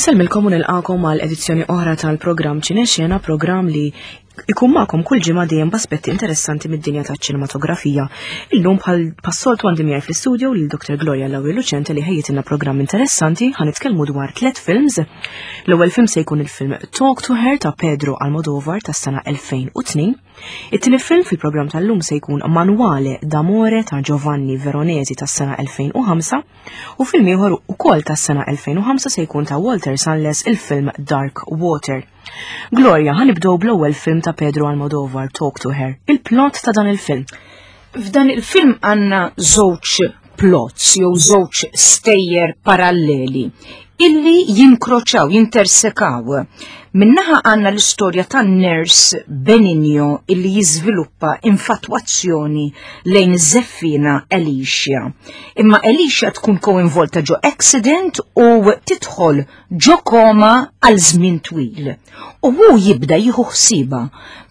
Insellmilkom u nilqakom għal edizzjoni oħra tal-programm Ċinexena, programm li ikun magħkom kull ġimgħa dejjem b'aspetti interessanti mid-dinja taċ-ċinematografija. Illum bħal passoltu għandi miegħi fl-istudio lil Dr. Gloria Lauri Lucente li ħejjitilna programm interessanti ħa nitkellmu dwar tliet films. L-ewwel film se jkun il-film Talk to Her ta' Pedro Almodovar tas-sena 2002. It-tieni film fil-programm tal-lum se jkun Manuale d'Amore ta' Giovanni Veronesi tas-sena 2005 u film ieħor ukoll tas-sena 2005 se jkun ta' Walter Salles il-film Dark Water. Gloria, ħanibdew bl-ewwel film ta' Pedro Almodovar, Talk to Her. Il-plot ta' dan il-film. F'dan il-film għandna żewġ plots jew żewġ stejjer paralleli illi jinkroċaw, jintersekaw. Minnaħa għanna l-istorja ta' nurse Benigno illi jiżviluppa infatwazzjoni lejn iż-żeffina Alicia. Imma Alicia tkun koinvolta ġo accident u tidħol ġo koma għal żmien twil. U hu jibda jieħu ħsiba.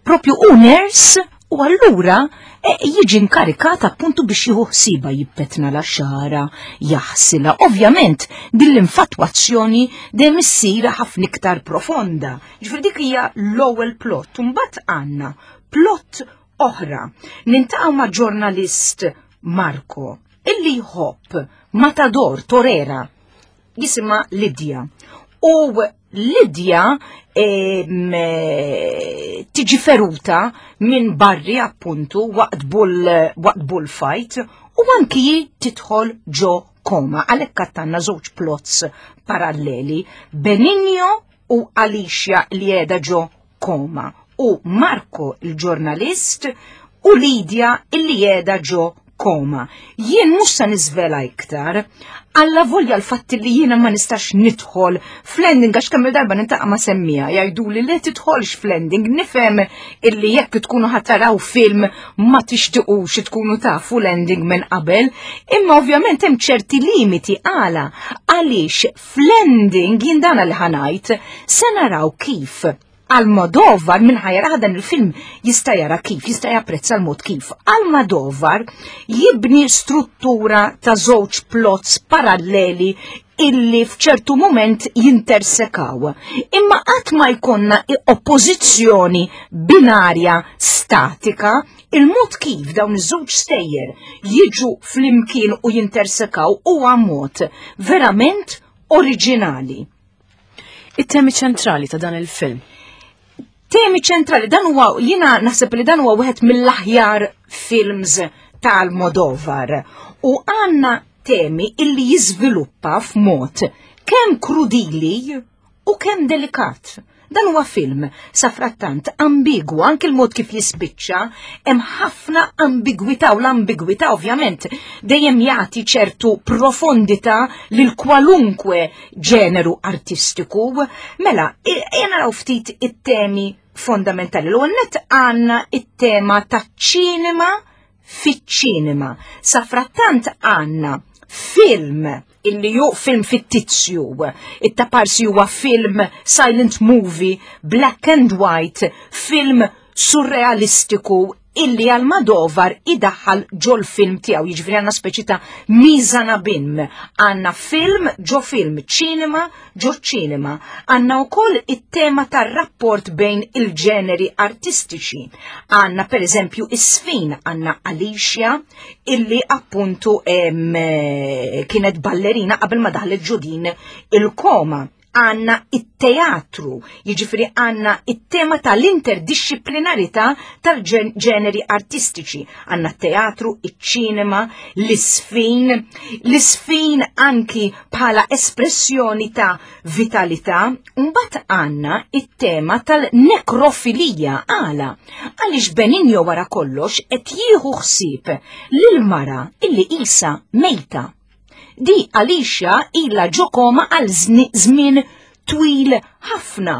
Propju hu nurse u allura e, jiġi inkarikat appuntu biex jieħu ħsiba jippetna la xara, jaħsila. Ovvjament din l-infatwazzjoni dejjem issir ħafna iktar profonda. Ġifieri dik hija l-ewwel plot. Mbagħad għandna plot oħra. Nintaqgħu ma' ġurnalist Marco illi jħobb Matador Torera jisimha Lidja. U Lidja tiġi feruta minn barri appuntu waqt bull waqt bullfight u anki tidħol ġo koma. Għalhekk għattanna żewġ plots paralleli, Benigno u Alicia li qiegħda ġo koma u Marco il-ġurnalist u Lidia illi qiegħda ġo koma. Jien mhux se niżvela iktar, alla volja l-fatt li jiena ma nistax nidħol fl-ending għax kemm darba nintaqa' ma' semmija jgħiduli li tidħolx fl-ending nifhem illi jekk tkunu ħataraw film ma tixtiqux tkunu tafu l-ending minn qabel, imma ovvjament hemm ċerti limiti għala għaliex fl-ending jien dana li ħanajt se naraw kif Almodovar minn ħajra dan il-film jista' jara kif, jista' japprezza l-mod kif. Almodovar jibni struttura ta' żewġ plots paralleli illi f'ċertu moment jintersekaw. Imma qatt ma jkollna oppożizzjoni binarja statika, il-mod kif dawn iż-żewġ stejjer jiġu flimkien u jintersekaw huwa mod verament oriġinali. It-temi ċentrali ta' dan il-film. Temi ċentrali, dan huwa jiena naħseb li dan huwa wieħed mill-aħjar films tal-Modovar. U għandna temi illi jiżviluppa f'mod kemm krudili u kemm delikat. Dan huwa film safrattant ambigwu anke l-mod kif jispiċċa hemm ħafna ambigwità u l-ambigwità ovvjament dejjem jagħti ċertu profondità lil kwalunkwe ġeneru artistiku. Mela, ejja naraw ftit it-temi fondamentali. L-ewwel nett għandna it-tema taċ-ċinema fiċ-ċinema. Safrattant għandna film illi ju film fittizju, it-taparsi huwa film silent movie, black and white, film surrealistiku illi Almodovar idaħħal ġol film tiegħu, jiġifieri għandna speċi ta' miżana bin. Għandna film ġo film, ċinema ġo ċinema. Għandna wkoll it-tema tar-rapport bejn il-ġeneri artistiċi. Għandna pereżempju is-sfin, għandna Alicia illi appuntu eh, kienet ballerina qabel ma daħlet ġo din il-koma għanna it-teatru, jiġifieri għanna it-tema tal-interdixxiplinarità tal-ġeneri artistiċi. Għanna teatru, iċ-ċinema, l-isfin, l-isfin anki bħala espressjoni ta' vitalità, mbagħad għanna it-tema tal-nekrofilija għala. Għaliex Benigno wara kollox qed jieħu ħsieb lil mara illi isa mejta. Di Alicia ilha ġo koma għal żmien twil ħafna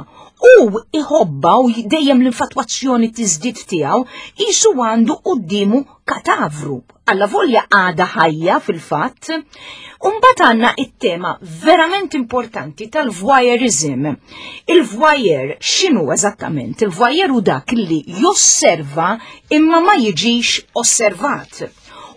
u iħobba u dejjem l-infatwazzjoni tiżdied tiegħu qisu għandu quddiemu katavru. Alla volja għada ħajja fil-fatt. Umbagħad għandna it-tema verament importanti tal-voyeurism. Il-voyeur x'inhu eżattament? Il-voyeur hu dak li josserva imma ma jiġix osservat.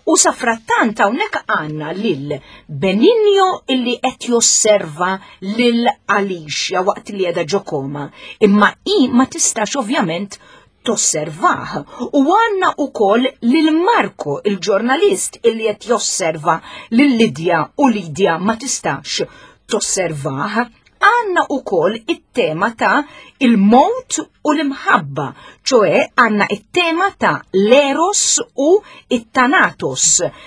U safrattant hawnhekk għandna lil Benigno illi qed josserva lil Alicia waqt li qiegħda ġo koma, imma hi ma tistax ovvjament tosservah. U għandna ukoll lil Marco, il-ġurnalist illi qed josserva lil Lidja u Lidja ma tistax tosservah. Għandna ukoll it-tema ta' il-mowt u l-imħabba, ċoe għandna it-tema ta' l-eros u it-thanatos.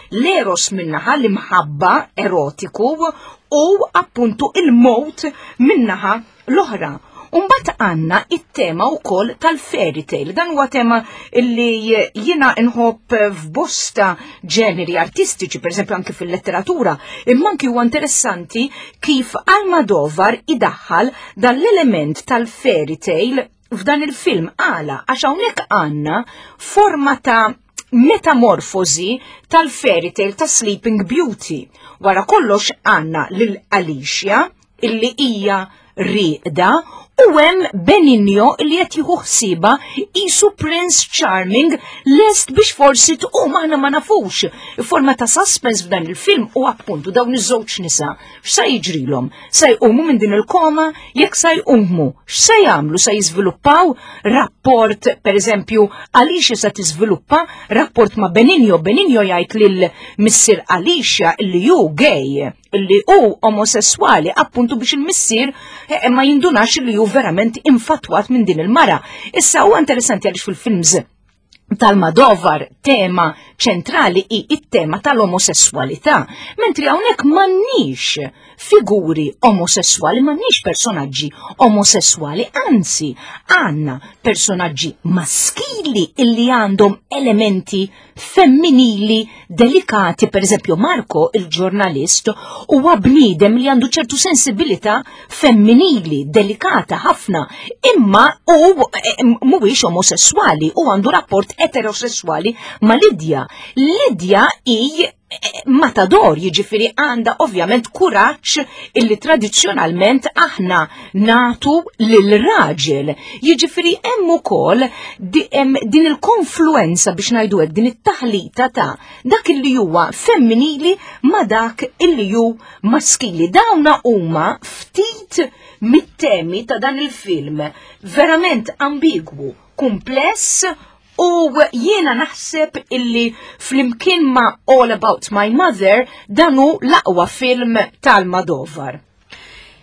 L-eros minnaħa l-imħabba erotiku u appuntu il-mowt minnaħa l-oħra. Umbat għanna it-tema u koll tal-fairy tale. Dan huwa tema li jina nħobb f'bosta ġeneri artistiċi, per eżempju anki fil-letteratura, imma anki huwa interessanti kif Almodovar idaħħal dan l-element tal-fairy tale f'dan il-film għala, għax hawnhekk għandna forma ta' metamorfosi tal-fairy tale ta' Sleeping Beauty. Wara kollox għandna lil Alicia illi hija rieqda u hemm Benigno li qed jieħu ħsiebha qisu Prince Charming lest biex forsi tqum, aħna ma nafux. Forma ta' suspense f'dan il-film u appuntu dawn iż-żewġ nisa. X'sa jiġrilhom? Sa jqumu minn din il-koma? Jekk sa jqumu, x'sa jagħmlu? Sa jiżviluppaw rapport, per eżempju, Alicia sa tiżviluppa rapport ma' Benigno. Benigno jgħid lil missier Alicia li hu gay, li hu omosessuali, appuntu biex il-missier ma jindunax li hu verament infatwat minn din il-mara. Issa huwa interessanti għaliex fil-films tal-Almodovar tema ċentrali hi it-tema tal-omosessualità, mentri hawnhekk m'għandniex figuri omosessuali, m'għandniex personaġġi omosessuali, anzi għandna personaġġi maskili illi għandhom elementi femminili delikati. Per eżempju Marco, il-ġurnalist, huwa bniedem li għandu ċertu sensibilità femminili delikata ħafna, imma hu mhuwiex omosessuali u għandu rapport eterosessuali ma' Lidja. Lidja hi matador, jiġifieri għandha ovvjament kuraġġ illi tradizzjonalment aħna natu lil raġel. Jiġifieri hemm ukoll din il-konfluenza, biex ngħidu hekk, din it-taħlita ta' dak illi huwa femminili ma' dak illi hu maskili. Dawna huma ftit mit-temi ta' dan il-film, verament ambigwu, kumpless, u jiena naħseb illi flimkien ma' All About My Mother dan hu l-aqwa film tal-Almodovar.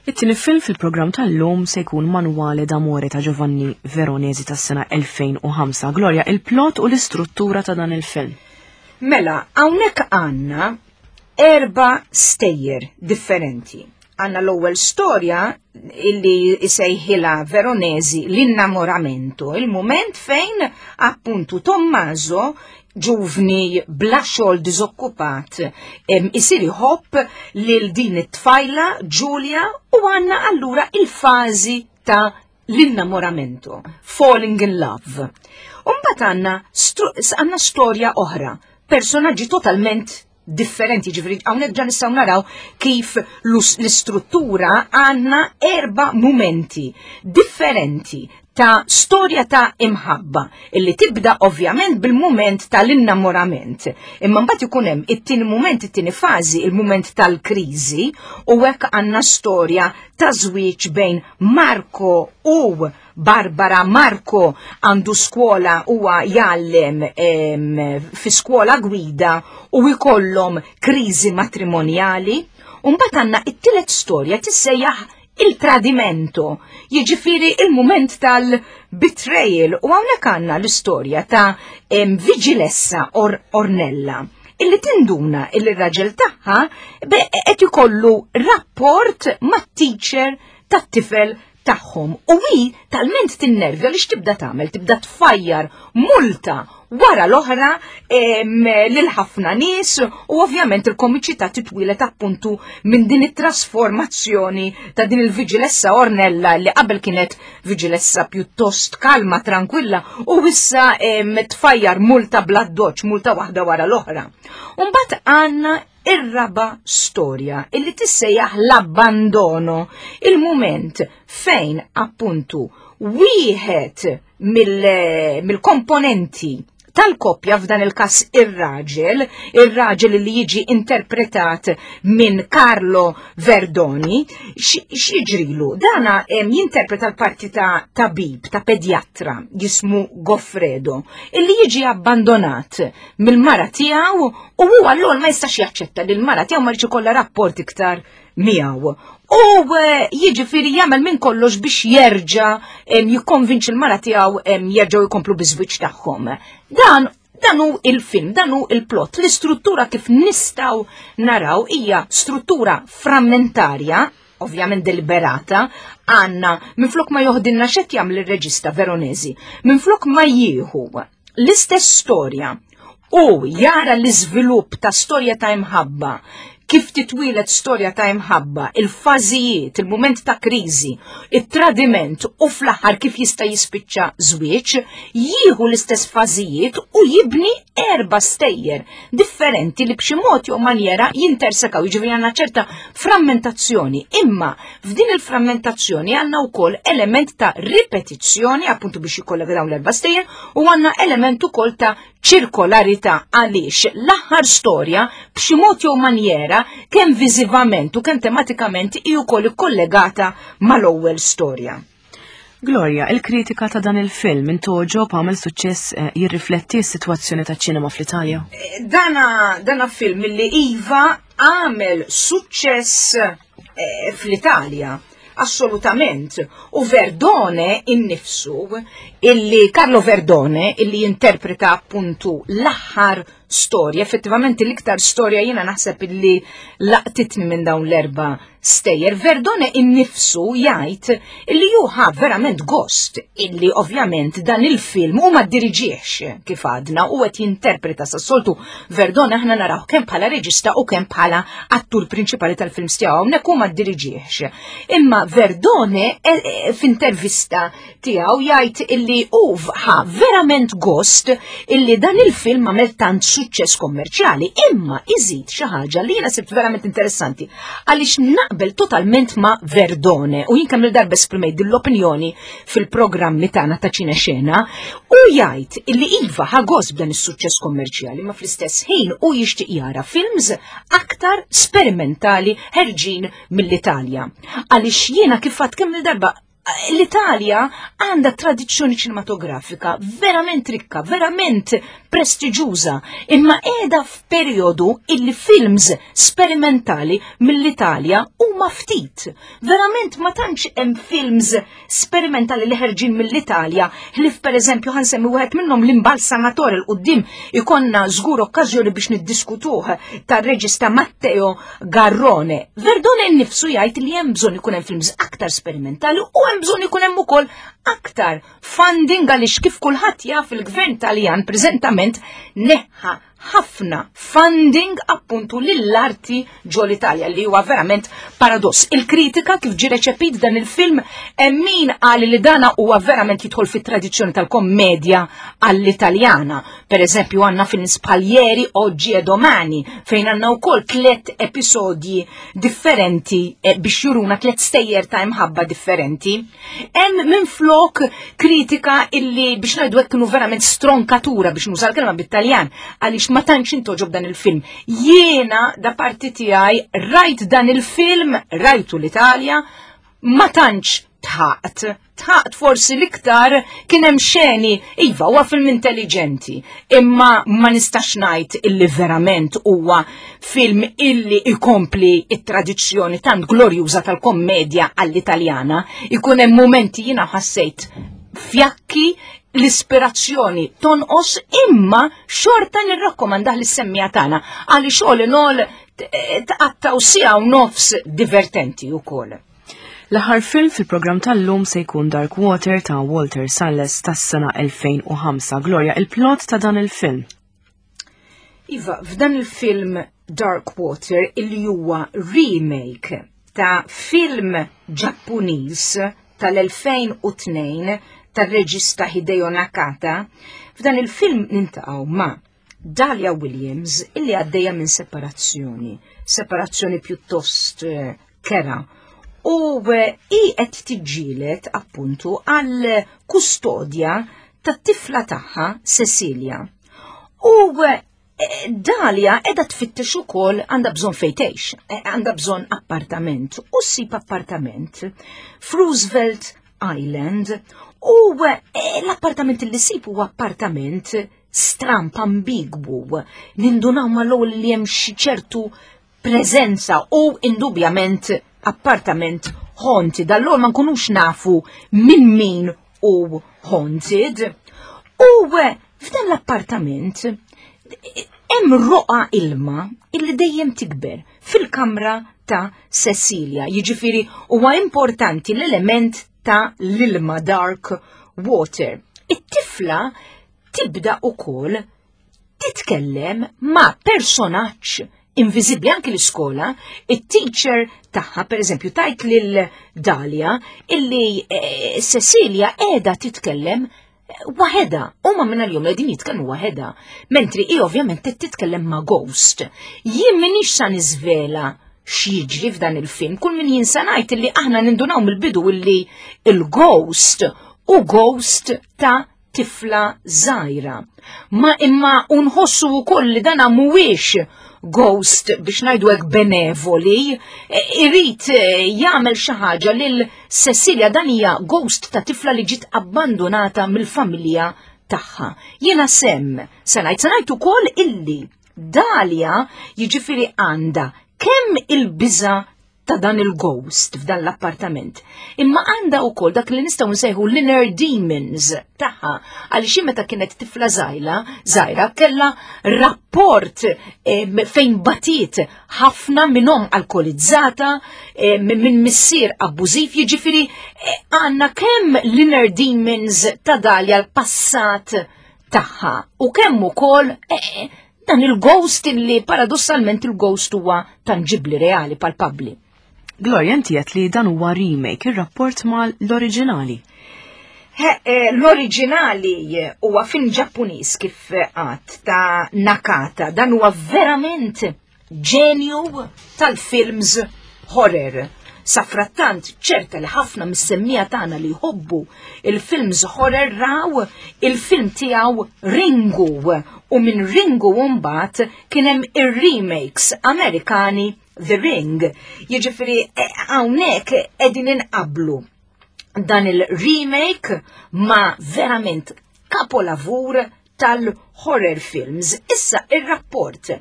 It-tieni film fil-programm tal-lum se jkun Manuale d'Amore ta' Giovanni Veronesi tas-sena 2005. Gloria, il-plot u l-istruttura ta' dan il-film. Mela, hawnhekk għandna 4 stejjer differenti. Għandna l-ewwel storja illi isejħilha Veronesi l-innamoramento, il-moment fejn appuntu Tommaso, ġuvni bla xogħol diżokkupat, isir iħobb lil din it-tfajla Giulia, u għandna allura il-fażi ta' l-innamoramento, falling in love. Umbagħad għandna storja oħra, personaġġi totalment differenti, ġifieri hawnhekk ġa nistgħu naraw kif l-istruttura għandna 4 mumenti differenti ta' storja ta' imħabba illi tibda ovvjament bil-mument tal-innamorament. Imma mbagħad ikun hemm it-tieni mument, it-tieni fażi, il-mument tal-kriżi, u hekk għandna storja ta' żwieġ bejn Marco u Barbara. Marco għandu skola, huwa jgħallem fi skola gwida u jkollhom kriżi matrimonjali. U mbagħad għandna it-tielet storja tissejjaħ il-tradimento, jiġifieri il-mument tal-betrayal, u hawnhekk għandna l-istorja ta' Vigilessa Ornella, illi tinduna illi r-raġel tagħha qed ikollu rapport mat-teacher tat-tifel tagħhom, u hi talment tinnervja li x'tibda tagħmel, tibda tfajjar multa wara l-oħra lil ħafna nies, u ovvjament il-komiċità titwilet appuntu minn din it-trasformazzjoni ta' din il-Vigilessa Ornella li qabel kienet Vigilessa pjuttost kalma, tranquilla, u issa tfajjar multa bla doċ, multa waħda wara l-oħra. Mbagħad għandna ir-raba storja illi tissejjaħ l-abbandono, il-mument fejn appuntu wieħed mill-komponenti. tal-koppja f'dan il-każ ir-raġel, ir-raġel li jiġi interpretat minn Carlo Verdoni, x'jiġrilu? Dana jinterpreta l-parti ta' tabib, ta' pedjatra, jismu Goffredo, illi jiġi abbandonat mill-mara tiegħu u huwa l ma jistax jaċċetta li l-mara tiegħu ma jridx ikollha rapport iktar miegħu. U eh, jiġifieri jagħmel minn kollox biex jerġa' jikkonvinċi l-mara tiegħu jerġgħu jkomplu biż-żwieġ tagħhom. Dan dan hu il-film, dan hu il-plot. L-istruttura kif nistgħu naraw hija struttura frammentarja, ovvjament deliberata, għanna minflok ma joħdilna xed jagħmel ir-reġista Veronesi, minflok ma jieħu l-istess storja u jara l-iżvilupp ta' storja ta' imħabba, kif titwieled storja ta' imħabba, il-fażijiet, il-mument ta' kriżi, it-tradiment u fl-aħħar kif jista' jispiċċa żwieġ, jieħu l-istess fażijiet u jibni erba' stejjer differenti li b'xi mod jew manjera jintersekaw, jiġifieri għandna ċerta frammentazzjoni. Imma f'din il-frammentazzjoni għandna wkoll element ta' ripetizzjoni, appuntu biex jikkollega dawn l-erba' stejjer, u għandna element ukoll ta' ċirkolarità għaliex l-aħħar storja b'xi mod jew manjera kemm viżivament u kemm tematikament hi wkoll ikkollegata mal-ewwel storja. Gloria, il-kritika ta' dan il-film intogħġob għamel suċċess eh, jirrifletti s-sitwazzjoni taċ-ċinema fl-Italja? Eh, dana, dana film li Iva għamel suċċess eh, fl-Italja Assolutament. U Verdone innifsu, illi Carlo Verdone, illi jinterpreta appuntu l-aħħar storja, effettivament l-iktar storja jiena naħseb illi laqtitni minn dawn l-erba stejjer. Verdone innifsu jgħid illi ju ħa verament gost illi ovvjament dan il-film u ma diriġiex kif għadna u qed jinterpreta sas-soltu Verdone aħna naraw kemm bħala reġista u kemm bħala attur prinċipali tal-films tiegħu hawnhekk hu ma ddiriġiex. Imma Verdone eh, eh, f'intervista tiegħu jgħid illi hu ħa verament gost illi dan il-film għamel tant suċċess kommerċjali, imma iżid xi ħaġa li jiena sibt verament interessanti għaliex naqbel totalment ma' Verdone u jien kemm il-darba esprimejt din l-opinjoni fil-programmi tagħna ta' ċine xena u jgħid illi iva ħa gost b'dan is-suċċess kommerċjali ma fl-istess ħin u jixtieq jara films aktar sperimentali ħerġin mill-Italja. Għaliex jiena kif għad kemm il-darba l-Italja għandha tradizzjoni ċinematografika verament rikka, verament prestiġuża, imma qiegħda f'perjodu illi films sperimentali mill-Italja huma ftit. Verament ma tantx hemm films sperimentali li ħerġin mill-Italja, ħlief pereżempju ħansemmi wieħed minnhom l-imbalsamatore l quddiem ikonna żgur okkażjoni biex niddiskutuh tar-reġista Matteo Garrone. Verdone nnifsu jgħid li hemm bżonn ikun hemm films aktar sperimentali u hemm bżonn ikun hemm ukoll aktar funding għaliex kif kulħadd jaf il-gvern Taljan preżentament neħħa ħafna funding appuntu lill-arti ġo l-Italja li huwa verament paradoss. Il-kritika kif ġie reċepit dan il-film hemm min qal li dana huwa verament jidħol fit-tradizzjoni tal-kommedja għall-Italjana. Per eżempju għandna films bħal Ieri, Oggi e Domani fejn għandna wkoll tliet episodji differenti eh, biex juruna tliet stejjer ta' imħabba differenti. Hemm minflok kritika illi biex ngħidu hekk kienu verament stronkatura biex nuża l-kelma bit-Taljan għaliex ma tantx intoġob dan il-film. Jiena da parti tiegħi rajt dan il-film, rajtu l-Italja, ma tantx tħaqt. Tħaqt forsi l-iktar kien hemm xeni, iva huwa film intelligenti, imma ma nistax ngħid illi verament huwa film illi ikompli it-tradizzjoni tant glorjuża tal-kommedja għall-Italjana, ikun hemm mumenti jiena ħassejt fjakki l-ispirazzjoni tonqos imma xorta nirrakkomandah lis-semmija tagħna għaliex all in all tqattaw siegħa u nofs divertenti wkoll. L-aħħar film fil-programm tal-lum se jkun Dark Water ta' Walter Salles tas-sena 2005. Gloria, il-plot ta' dan il-film. Iva, f'dan il-film Dark Water illi huwa remake ta' film Ġappuniż tal-2002 tar-reġista Hideo Nakata, f'dan il-film nintaqgħu ma' Dahlia Williams illi għaddejja minn separazzjoni, separazzjoni pjuttost eh, kera. U eh, hi qed tiġġieled appuntu għal kustodja tat-tifla tagħha Cecilia. U eh, Dalia edha tfittex ukoll għandha bżonn fejn tgħix, eh, għandha bżonn appartament u ssib appartament f'Roosevelt Island u eh, l-appartament li ssib huwa appartament stramp ambigwu nindunaw mal-ewwel li hemm xi ċertu preżenza u indubjament appartament haunted. Allura ma nkunux nafu minn min u haunted. U eh, f'dan l-appartament hemm roqa ilma illi dejjem tikber fil-kamra ta' Cecilia. Jiġifieri huwa importanti l-element ta' l-ilma dark water. It-tifla tibda ukoll titkellem ma' personaġġ inviżibbli anki l-iskola, it-teacher tagħha pereżempju tajt lil Dalia illi eh, Cecilia qiegħda titkellem eh, waħedha, huma minn għal-jum qegħdin jitkellmu waħedha, mentri hi ovvjament qed titkellem ma' ghost. Jien m'iniex sa niżvela x'jiġri f'dan il-film, kull min jinsa ngħid illi aħna nindunaw mill-bidu illi il-ghost u ghost ta' tifla żgħira. Ma imma unħossu wkoll li dana mhuwiex ghost biex ngħidu hekk benevoli, e, irid e, jagħmel xi ħaġa lil Cecilia dan hija ghost ta' tifla li ġiet abbandonata mill-familja tagħha. Jiena sem, se ngħid se ngħid ukoll illi Dalia jiġifieri għandha kemm il-biża' ta' dan il-ghost f'dan l-appartament. Imma għandha wkoll dak li nistgħu nsejħu l-inner demons tagħha għaliex meta kienet tifla żgħira, żgħira kellha rapport eh, fejn batiet ħafna minn omm alkolizzata, eh, minn missier abbużiv, jiġifieri eh, għandna kemm l-inner demons ta' dalja l-passat tagħha u kemm ukoll Dan il-ghost illi paradossalment il-ghost huwa tanġibli reali palpabbli. Gloria, inti qed li dan huwa remake, ir-rapport mal l-oriġinali. Eh, l-oriġinali huwa film Ġappuniż kif għat ta' Nakata, dan huwa verament ġenju tal-films horror. Safrattant, ċerta li ħafna mis-semmija tagħna li jħobbu il-films horror raw il-film tiegħu Ringu u minn Ringu mbagħad kien hemm ir-remakes Amerikani The Ring. Jiġifieri eh, hawnhekk qegħdin inqablu dan il-remake ma' verament kapolavur tal-horror films. Issa ir-rapport.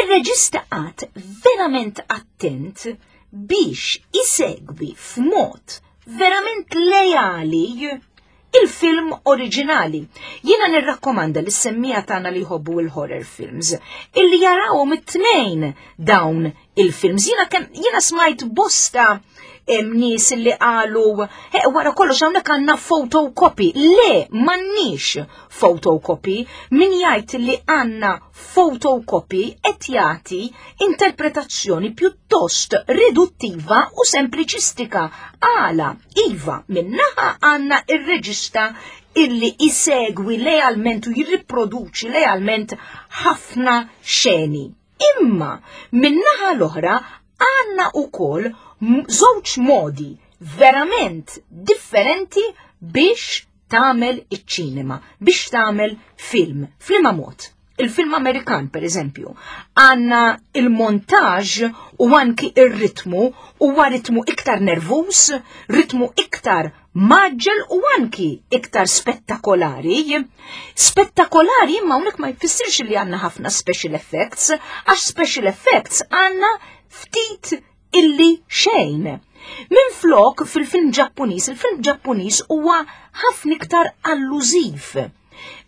Ir-reġista qagħad verament attent biex isegwi f'mod verament lejali il-film oriġinali. Jiena nirrakkomanda li semmija tagħna li jħobbu il-horror films illi jarawhom it-tnejn dawn il-films. Jiena kemm jiena smajt bosta nies li qalu eh, wara kollox hawnhekk għandna photocopy. Le, m'għandniex photocopy. Min jgħid li għandna photocopy qed jagħti interpretazzjoni pjuttost riduttiva u sempliċistika. Għala, iva, minnaħa għandna ir-reġista illi isegwi lealment u jirriproduċi lealment ħafna xeni. Imma min-naħa l-oħra għandna wkoll żewġ modi verament differenti biex tagħmel iċ-ċinema, biex tagħmel film. F'liema mod? Il-film Amerikan, per eżempju, għanna il-montaġ u anki ir-ritmu huwa ritmu iktar nervus, ritmu iktar maġġel u anki iktar spettakolari. Spettakolari imma hawnhekk ma jfissirx li għandna ħafna special effects, għax special effects għandna ftit illi xejn. Minn flok fil-film Ġappuniż, il-film Ġappuniż huwa ħafna iktar allużiv.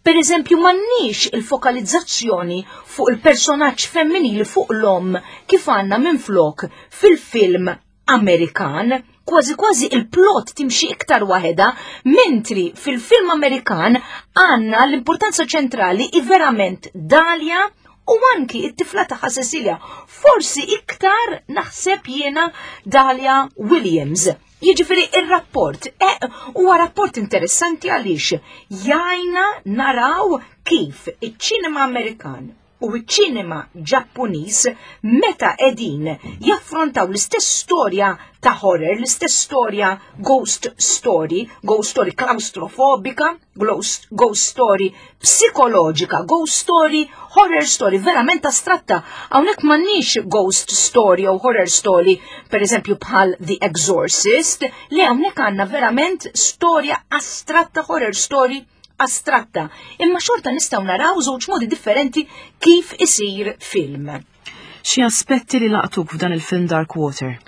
Per eżempju, m'għandniex il-fokalizzazzjoni fuq il-personaġġ femminili fuq l-om kif għandna minn flok fil-film Amerikan, kważi kważi il-plot timxi iktar waħedha, mentri fil-film Amerikan għandna l-importanza ċentrali i verament Dalia u anki it-tifla tagħha Cecilia. Forsi iktar naħseb jiena Dalia Williams. Jiġifieri ir-rapport eh, huwa rapport interessanti għaliex jgħinna naraw kif iċ-ċinema Amerikan. u ċ-ċinema Ġappuniż meta qegħdin jaffrontaw l-istess storja ta' horror, l-istess storja ghost story, ghost story klaustrofobika, ghost, ghost story psikoloġika, ghost story, horror story, verament astratta. Hawnhekk m'għandniex ghost story jew horror story, per eżempju bħal The Exorcist, li hawnhekk għandna verament storja astratta, horror story astratta. Imma xorta nistgħu naraw żewġ modi differenti kif isir film. Xi aspetti li laqtuk f'dan il-film Dark Water?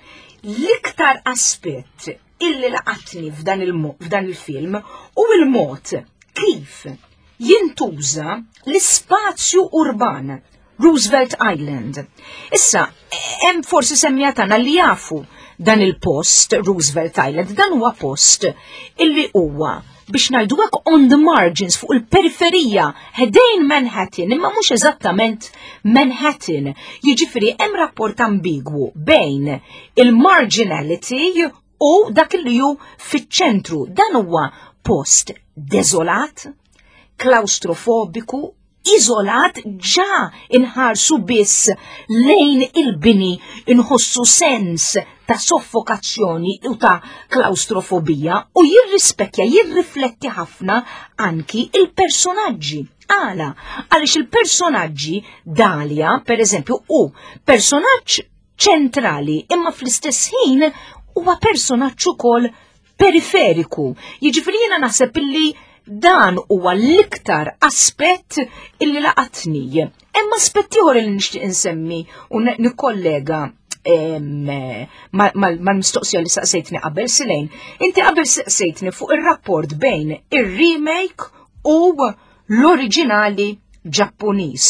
L-iktar aspett illi laqatni f'dan il-film u il-mod kif jintuża l-ispazju urban Roosevelt Island. Issa, hemm forsi semmija tagħna li jafu dan il-post Roosevelt Island, dan huwa post illi huwa biex ngħidu hekk on the margins fuq il-periferija ħdejn Manhattan imma mhux eżattament Manhattan. Jiġifieri hemm rapport ambigwu bejn il-marginality u dak li hu fiċ-ċentru. Dan huwa post deżolat, klaustrofobiku, iżolat ġa inħarsu biss lejn il-bini inħossu sens ta' soffokazzjoni u ta' klaustrofobija u jirrispekja, jirrifletti ħafna anki il-personaġġi. Għala, għaliex il-personaġġi Dalia, per eżempju, u personaġġ ċentrali, imma fl-istess ħin huwa personaġġ ukoll periferiku. Jiġifieri jiena naħseb illi dan huwa l-iktar aspett illi laqatni. Hemm aspett ieħor li nixtieq insemmi u nikkollega mal-mistoqsija li saqsejtni qabel Silejn. Inti qabel saqsejtni fuq ir-rapport bejn ir-remake u l-oriġinali Ġappuniż.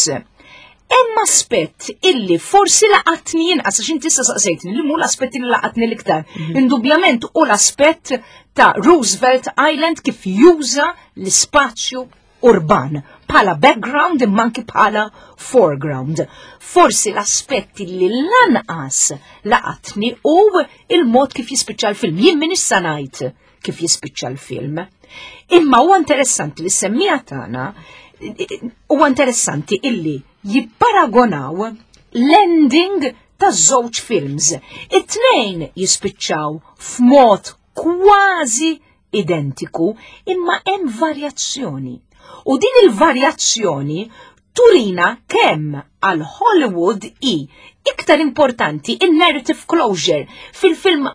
Hemm aspett illi forsi laqatni inqas għax inti issa saqsejtni li mhu l-aspett li laqatni l-iktar. Indubjament u l-aspett ta' Roosevelt Island kif juża l-ispazju urban bħala background imma anki bħala foreground. Forsi l-aspett li lanqas laqatni u il-mod kif jispiċċa l-film. Jien min issa ngħid kif jispiċċa l-film. Imma huwa interessanti li semmija tagħna huwa interessanti illi jipparagonaw l-ending ta' żewġ films. It-tnejn jispiċċaw f'mod kważi identiku imma hemm varjazzjoni. U din il-varjazzjoni turina kemm għal Hollywood i iktar importanti in-narrative closure fil-film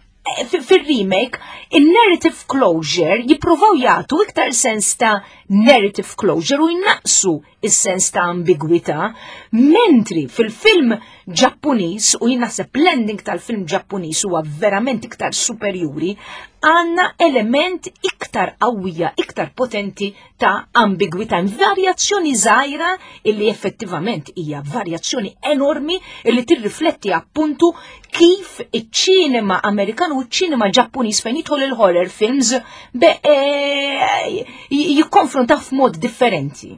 fil-remake, il-narrative closure jippruvaw jagħtu iktar sens ta' narrative closure u jnaqsu is-sens ta' ambigwità, mentri fil-film Ġappuniż u jien naħseb l-ending tal-film Ġappuniż huwa verament iktar superjuri, għandna element iktar qawwija, iktar potenti ta' ambigwità, varjazzjoni żgħira illi effettivament hija varjazzjoni enormi illi tirrifletti appuntu kif iċ-ċinema Amerikan u ċ-ċinema Ġappuniż fejn jidħol il-horror films be e, jikkonfronta f'mod differenti.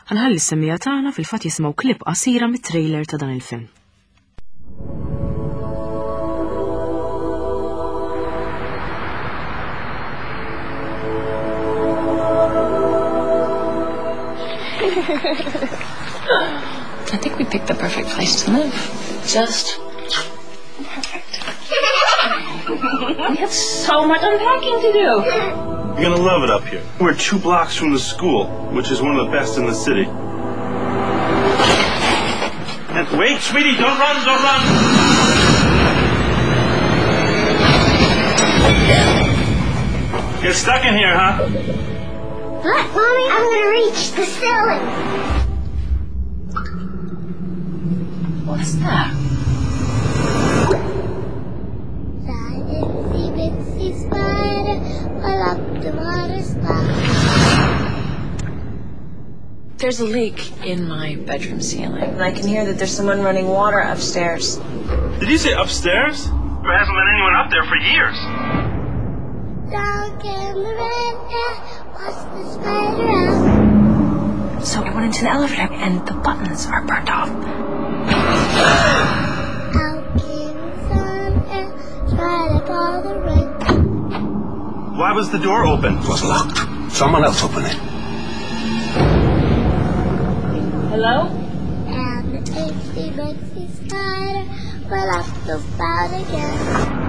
Ħanħalli s-semmija tagħna fil-fatt jisimgħu klip qasira mit-trailer ta' dan il-film. I think we picked the perfect place to live. Just perfect. we have so much unpacking to do. You're gonna love it up here. We're two blocks from the school, which is one of the best in the city. And wait, sweetie, don't run, don't run! You're stuck in here, huh? Look, Mommy, I'm gonna reach the ceiling. What's that? The itsy bitsy spider fell up the water spout. There's a leak in my bedroom ceiling. And I can hear that there's someone running water upstairs. Did you say upstairs? There hasn't been anyone up there for years. Down came the rain and washed the spider out. So I went into the elevator and the buttons are burned off. Out came the sun and dried up all the rain. Why was the door open? It was locked. Someone else opened it. Hello? And bitsy spider will up the spout again.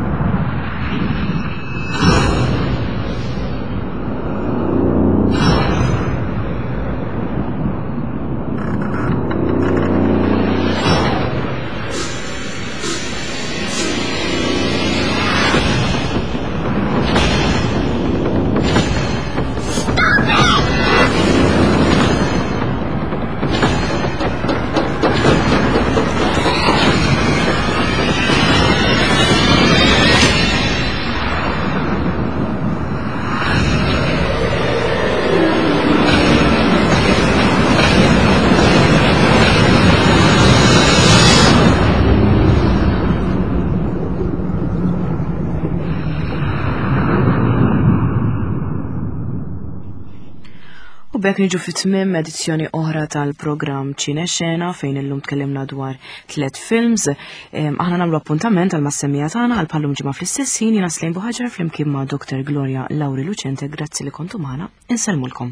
U b'hekk niġu fi tmiem edizzjoni oħra tal-programm Ċine Xena fejn illum tkellimna dwar tliet films. Aħna nagħmlu appuntament għal mas-semmija tagħna għal bħallum ġimgħa fl-istess ħin jiena Slejn Buħaġar flimkien ma' Dr. Gloria Lauri Lucente, grazzi li kontu magħna, insellmulkom.